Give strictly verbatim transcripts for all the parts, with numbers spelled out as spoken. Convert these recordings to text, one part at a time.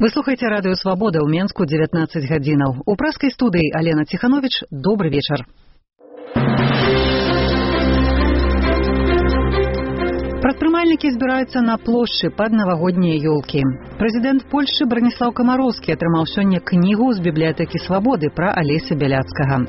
Вы слухаеце радыё Свабода ў Менску дзевятнаццаць гадзінаў. У праскай студыі Алена Ціхановіч. Добры вечар. Прадпрымальнікі збіраюцца на плошчы пад навагоднія ёлкі. Прэзідэнт Польшчы Браніслаў Камароўскі атрымаў сёння кнігу з бібліятэкі Свабоды пра Алеся Бяляцкага.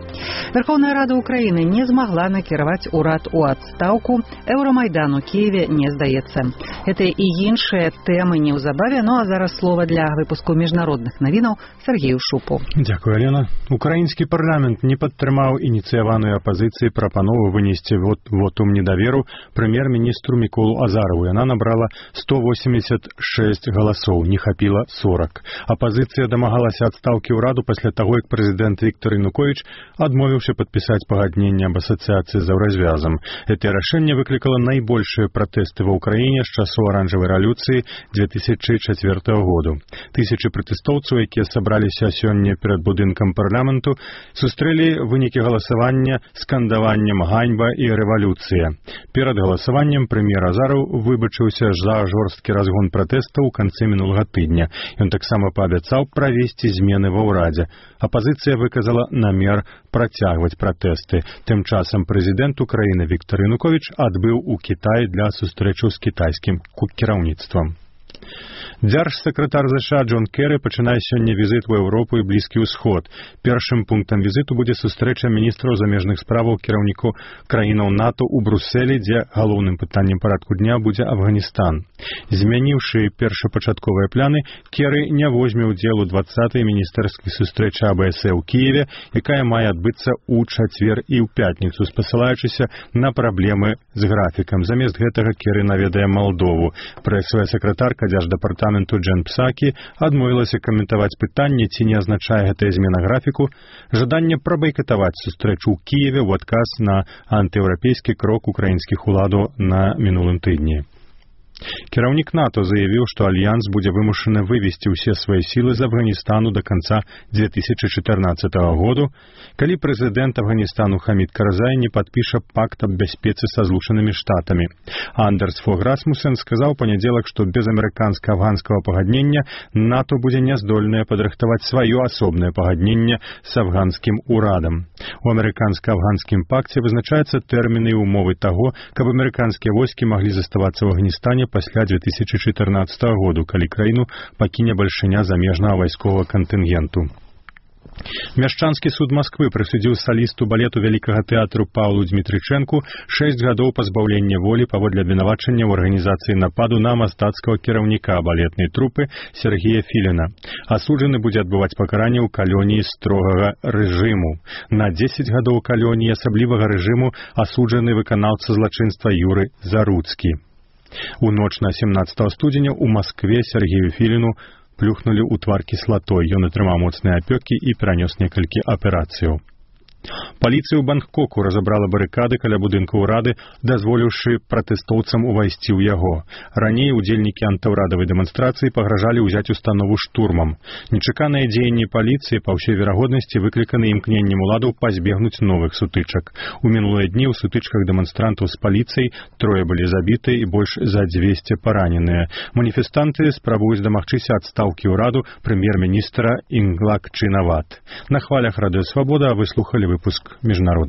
Верховная Рада Украіны не змагла накіраваць урад у адстаўку. Еўрамайдан у Киеве не здаецца. Гэта і іншыя тэмы неўзабаве, ну а зараз слова для выпуску міжнародных навінаў Сергею Шупу. Дзякуй, Алена. Украінскі парламент не падтрымаў ініцыяваную апазіцыі прапанову вынесці вот, вотум недаверу прэм'ер-міністру Міколу Азарову. Яна набрала сто восемьдесят шесть галасоў, не хапіла сорок. Апазіцыя дамагалася адстаўкі ўраду пасля таго, як прэзідэнт Віктор Януковіч адмовіўся падпісаць пагадненне аб асацыяцыі з еўразвязам. Гэтае рашэнне выклікала найбольшыя пратэсты ва ўкраіне з часу аранжавай рэвалюцыі две тысячи четвёртого году. Тысячы пратэстоўцаў, якія сабраліся сёння перад будынкам парламенту, сустрэлі вынікі галасавання скандаваннем «Ганьба» і «Рэвалюцыя». Перад галасаваннем прэм'ер Азаров выбачыўся за жорсткі разгон пратэстаў у канцы мінулага тыдня. Ён таксама паабяцаў правесці змены ва ўрадзе. Апазіцыя выказала намер працягваць пратэсты. Тым часам прэзідэнт Украіны Віктор Януковіч адбыў у Кітай для сустрэчу з кітайскім кіраўніцтвам. Дзяржсакратар ЗША Джон Керры пачынае сёння візіт у Еўропу і Блізкі ўсход. Першым пунктам візіту будзе сустрэча міністраў замежных справаў кіраўнікоў краінаў НАТО ў Брусэлі, дзе галоўным пытаннем парадку дня будзе Афганістан. Змяніўшы першапачатковыя пляны, Керры не возьме ўдзел у двадцатай міністэрскай сустрэчы А Б С ў Кіеве, якая мае адбыцца ў чацвер і ў пятніцу, спасылаючыся на праблемы з графікам. Замест гэтага Керры наведае Малдову. Прэсавая сакратарка дзярждапартаменту Джен Псакі адмовілася каментаваць пытанне, ці не азначае гэтая змена графіку жаданне прабайкатаваць сустрэчу ў Кіеве ў адказ на антыеўрапейскі крок украінскіх уладаў на мінулым тыдні. Кіраўнік НАТО заявіў, што альянс будзе вымушаны вывесці ўсе свае сілы з Афганістану да канца две тысячи чатырнаццатого году, калі прэзідэнт Афганістану Хамід Карзай не падпіша пакт аб бяспецы са Злучанымі Штатамі. Андерс Фог Расмусен сказаў у панядзелак, што без амерыканска-афганскага пагаднення НАТО будзе няздольнае падрыхтаваць сваё асобнае пагадненне з афганскім урадам. У амерыканска-афганскім пакце вызначаюцца тэрміны і умовы таго, каб амерыканскія войскі маглі заставацца ў Афганістане пасля две тысячи чатырнаццатого году, калі краіну пакіне бальшыня замежнага вайсковага кантынгенту. Мяшчанскі суд Масквы прысудзіў салісту балету вялікага тэатру Паўлу Дзмітрычэнку шэсць гадоў пазбаўлення волі паводле абвінавачання ў арганізацыі нападу на мастацкага кіраўніка балетнай трупы Сергея Філіна. Асуджаны будзе адбываць пакаранне ў калоніі строгага рэжыму. На дзесяць гадоў калоніі асаблівага рэжыму асуджаны выканаўца злачынства Юры Заруцкі. У ноч на семнаццатого студзеня ў Маскве Сергею Філіну плюхнулі ў твар кіслатой. Ён атрымаў моцныя апёкі і перанёс некалькі аперацыяў. Паліцыя ў Бангкоку разабрала барыкады каля будынка ўрады, дазволіўшы пратэстоўцам увайсці ў яго. Раней удзельнікі антыўрадавай дэманстрацыі пагражалі ўзяць установу штурмам. Нечаканыя дзеянні паліцыі па ўсёй верагоднасці выкліканы імкненнем уладаў пазбегнуць новых сутычак. У мінулыя дні ў сутычках дэманстрантаў з паліцыяй трое былі забіты і больш за дзвесце параненыя. Маніфестанты спрабуюць дамагчыся адстаўкі ўраду прэм'ер-міністра Інглак Чынават. На хвалях радыё Свабода вы слухалі выпуск міжнародных